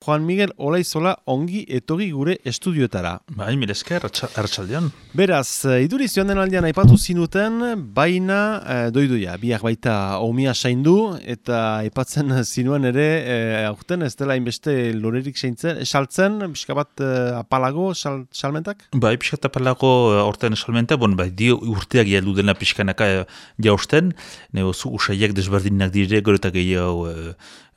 Juan Miguel Olaizola ongi etorri gure estudioetara. Bai, milesker, arratsaldean. Beraz, iduriz joan den aldean aipatu zinuten, baina doidoia, biak baita omia saindu, eta aipatzen zinuen ere, aurten ez dela inbeste lorerik saltzen, pixka bat apalago salmentak? Bai, pixka apalago aurten salmenta, bai, dio urteak heldu dena pixkanaka jausten, negozu usaiak desberdinak dire, gero eta gehiago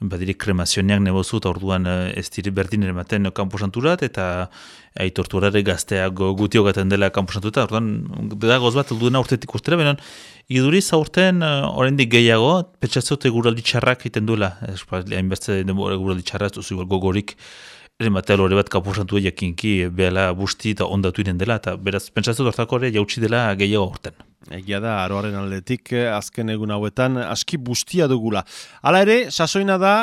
badire kremazioneak negozu, eta orduan ez dire berdin ematen kanposanturat, eta aitorturare gazteak gutiogaten dela kanposanturat, orduan dagoz bat heldu dena urtetik urtera, benen iduriz aurten oraindik gehiago, petxatzote guraldi txarrak iten duela, hainbeste guraldi txarra, ez duzu gogorik, ematea lore bat kanposantua jakinki behala busti eta ondatu iren dela, eta beraz, pentsatzen hortako ere jautsi dela gehiago aurten. Egia da, aroaren aldetik, azken egun hauetan, aski bustia dugula. Hala ere, sasoina da,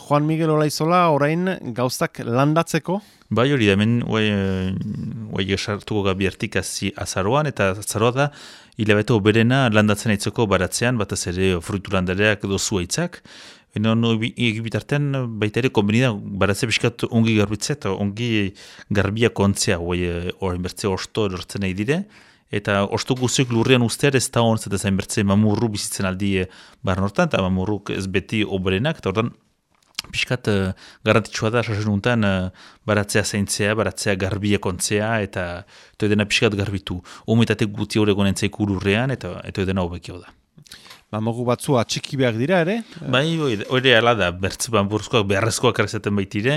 Juan Miguel Olaizola orain gauztak landatzeko? Bai hori da, hemen guai esartuko gabiertik azaroan, eta azaroa da, hilabete oberena landatzen aitzeko baratzean, batez ere fruitu landareak edo zuaitzak. Egibitartean baita ere konbenida baratze biskat ongi garbitzea eta ongi garbia kontzea, orain bertze osto lortzen nahi dire, eta osto guziok lurrean ustear ez da honz eta zain bertze mamurru bizitzen aldi barnortan, eta mamurruk ez beti oberenak, eta ordan piskat garantitxua da sasenuntan baratzea zaintzea, baratzea garbia kontzea, eta edena piskat garbitu. Humetatek guti horregon entzaik lurrean, eta edena hobekio da. Mogu batzu atxiki behar dira ere? Bai, hori ala da, bertze buruzkoak beharrezkoak arrezaten baitire,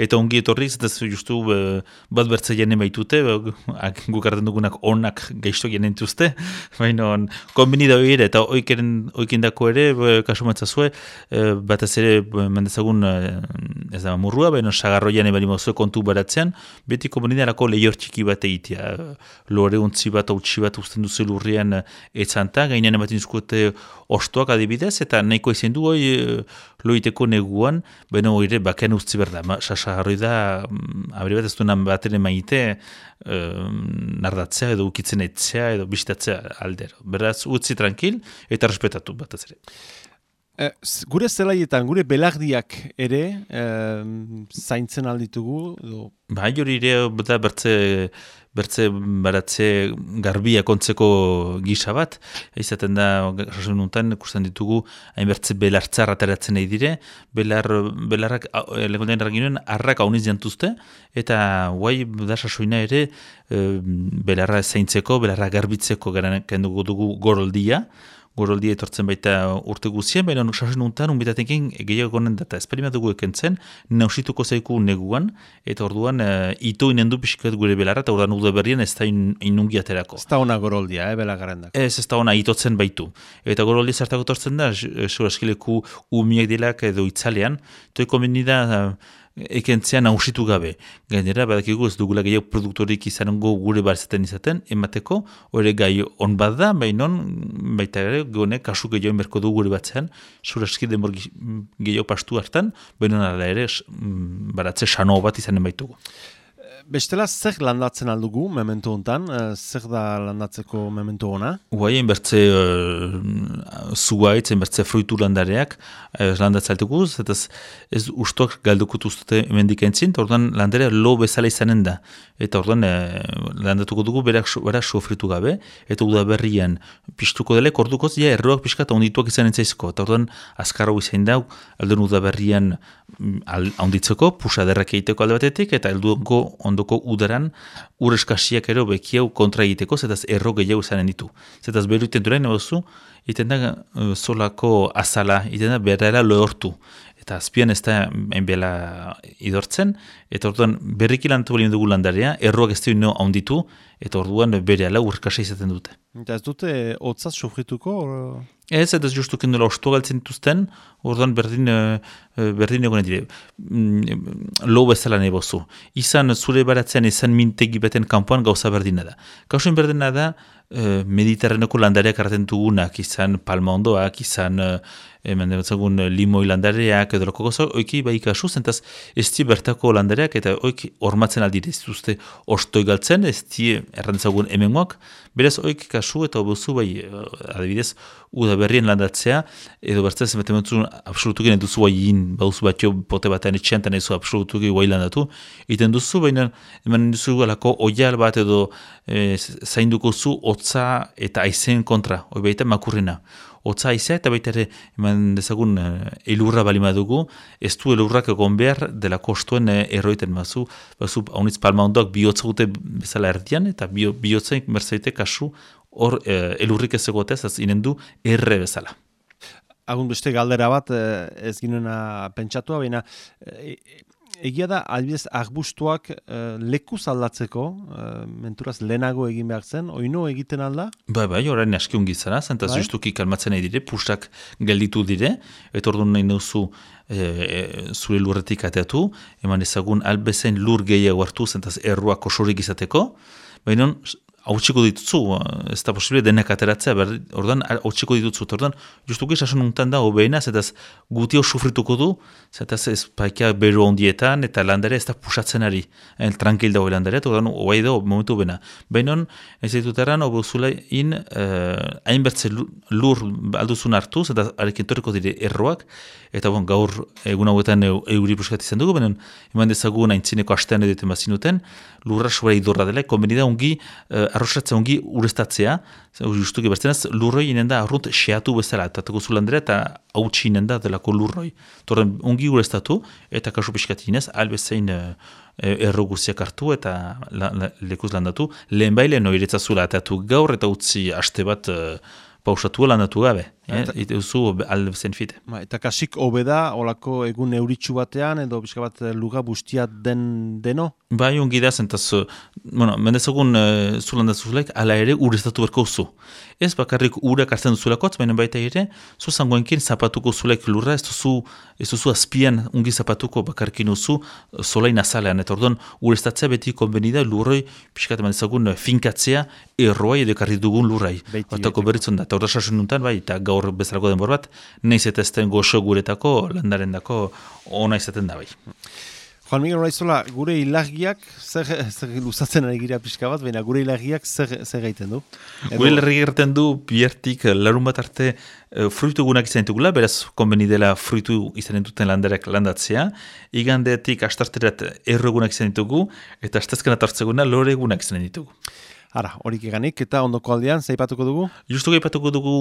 eta ongi etorriz, eta justu bat bertze jene baitute, guk arten dugunak onak gaizto jene entuzte, baina konbini da hori ere, eta oikendako ere, kasu matzazue, batez ere mendezagun ez da mamurrua, baina sagarro jane bali mazue kontu baratzean, beti konbini darako lehior txiki bat egitea, lore untzi bat, hautsi bat usten duzu lurrian etzanta, gainean ematen izkuete ostoak adibidez, eta nahiko izan du loiteko neguan, baina hori bakean ustzi berda. Sasaharroi da, abri bat ez duenan bat ere maite, nardatzea edo ukitzen etzea edo bisitatzea aldero. Beraz, utzi tranquil eta respetatu bat ez ere. Gure zelaietan, gure belardiak ere, zaintzen alditugu? Bai hori ere, bertze baratze garbia kontzeko gisa bat, izaten da, sasununtan, ikusten ditugu, hain bertze belartzar ateratzen nahi dire, belarrak, lehenkotean erraginoen, arrak hauniz jantuzte, eta guai da sasoina ere, belarra zaintzeko, belarra garbitzeko garen dugu goroldia etortzen baita urte guzien, baina sasen untan, unbitatekin gehiago gonen data. Esperimentu dugu ekentzen, nausituko zaiku neguan, eta orduan ito inendu pixkat gure belarra, eta orduan uda berrien ez da inungi aterako. Ez da ona goroldia, belagarendak. Ez da ona itotzen baitu. Eta goroldia zartako tortzen da, eskileku umiak dilak edo itzalean, toiko menida ekentzean nausitu gabe. Gainera, badakigu ez dugula gehiago produktorik izango gure barzetan izaten, emateko, hori gai on bat da, baita ere, gone, kasu gehiago enberko du gure batzean, suraski denbor gehiago pastu hartan, baina nara ere, baratze sano bat izanen baitugu. Bestela, zer landatzen aldugu memento hontan? Zer da landatzeko memento ona? Guai, enbertze zuaitz, enbertze fruitu landareak landatzen altugu, eta ez ustoak galdukutu ustute emendik entzin, eta orduan landarea lo bezala izanen da. Eta orduan landatuko dugu berak sofritu gabe, eta udaberrian piztuko delek, ordukoz, erroak pixkat ondituak izanen zaizko. Eta orduan azkarro izan dau, aldun udaberrian onditzeko, pusaderrak egiteko alde batetik, eta helduko ondoko udaran ureskasiak ero bekiau kontra egiteko, zetaz erro gehiago izanen ditu. Zetaz beru iten durain, iten da solako azala, iten da berrera lehortu. Eta azpian ez da enbela idortzen, eta orduan berriki lanatu balin dugu landarea, erroak ez dira onditu, eta orduan bere ala urkasa izaten dute. Eta ez dute hotzaz sofrituko? Ez justu kendela ostu galtzen dituzten, orduan berdin egonen dire. Lo bezala nahi bozu. Izan zure baratzean, izan mintegi beten kanpoan gauza berdina da. Gauzen berdina da, Mediterraneko landareak arraten dugunak, izan palma ondoak, izan limoi landareak, edo loko gozo, oiki bai kasu, zentaz ez di bertako landareak, eta oiki ormatzen aldire, ez duzte ostoi galtzen, ez di errantzagun hemengoak, beraz oiki kasu, eta obozu bai, adibidez, udaberrien landatzea, edo bertzen zenbaten absolutuken eduzu hain bauzu batio pote batean etxean, eta nahi zu absolutuki guai landatu, iten duzu, baina eman duzu alako oial bat edo zainduko zu hotza eta aizen kontra, hoi baita makurrena. Hotza aizea eta baita ere eman dezagun elurra balima dugu, ez du elurrak egon behar dela kostuen erroiten bazu haunitz palma ondoak bihotza gute bezala erdian, eta bihotza berzaite kasu hor elurrik ez egotez, ez inen du erre bezala. Agun beste galdera bat ez ginena pentsatua, baina egia da, albidez, arbustuak lekuz aldatzeko, menturaz lehenago egin behar zen, oino egiten alda? Bai, orain aski ungi zara, zentaz justuki kalmatzen nahi dire, pusak gelditu dire, eta orduan nahi nauzu zure lurretik ateatu, eman ezagun albezen lur gehiago hartu, zentaz erruak osorik izateko, baina hautsiko ditutzu, ez da posible denek ateratzea, ordan hautsiko ditutzu, ordan justuki sason untan da, obeina, zetaz gutio sufrituko du, zetaz ez paikia beru ondietan, eta landare ez da pusatzen ari, tranquil dago landare, eta ordan oai da, momentu bena. Bainon, ez ditutaran, obuzula hainbertze lur alduzun hartu, zetaz arekin torriko dire erroak, eta gaur egun hauetan euri puskat izan dugu, bainon, eman dezagun aintzineko astean eduten bazinuten, lurra sobera idorra dela, konbenida ungi arrosatzea ongi urestatzea, justuki bertzenaz, lurroi inen da arrunt xeatu bezala, eta zu landera, eta hautsi inen da delako lurroi. Torren ongi urestatu, eta kasu pixkat inez, albezein erro guziak hartu, eta lekuz landatu, lehen baile noiretzazula atatu gaur, eta utzi haste bat pausatu landatu gabe, eta duzu albezen fite. Eta kasik hobeda, olako egun euritxu batean, edo pixka bat luga bustia deno? Bai, ongi da, zentaz, mendezagun zulandazuzulaik, ala ere urestatu berko zu. Ez bakarrik urak hartzen duzulakotz, baina baita ere, zu zangoenkin zapatuko zulaik lurra, ez duzu azpian ungi zapatuko bakarkin uzu solain azalean, eta orduan urestatzea beti konbenida lurroi, pixkat mendezagun finkatzea erroai edo karri dugun lurrai. Batako berritzen da, eta orda sasun nuntan, bai, eta gaur bezalako denbor bat, nahiz eta ezten goxo guretako, landaren dako, ona izaten da bai. Juan Miguel Olaizola, gure ilagiak, zer luzatzen ari gira pixka bat, baina gure ilagiak zer gaiten du? Gure ilagiak egiten du, biertik larun bat arte fruitu egunak izan ditugula, beraz konbeni dela fruitu izan duten landarek landatzea, igandetik astarterat erro egunak izan ditugu, eta astazkenat hartzeguna lore egunak izan ditugu. Ara, horik eganik, eta ondoko aldean, zaipatuko dugu? Justuki aipatuko dugu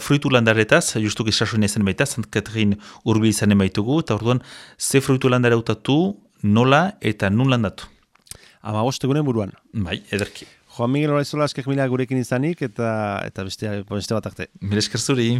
fruitu landaretaz, justuki sasoin ezen baita, Sant Katrin urbil izanen baitugu, eta orduan, ze fruitu landare hautatu, nola eta nun landatu. Ama egunen buruan. Bai, ederki. Juan Miguel Olaizola, askak mila gurekin izanik, eta beste bat arte. Mila esker zuri.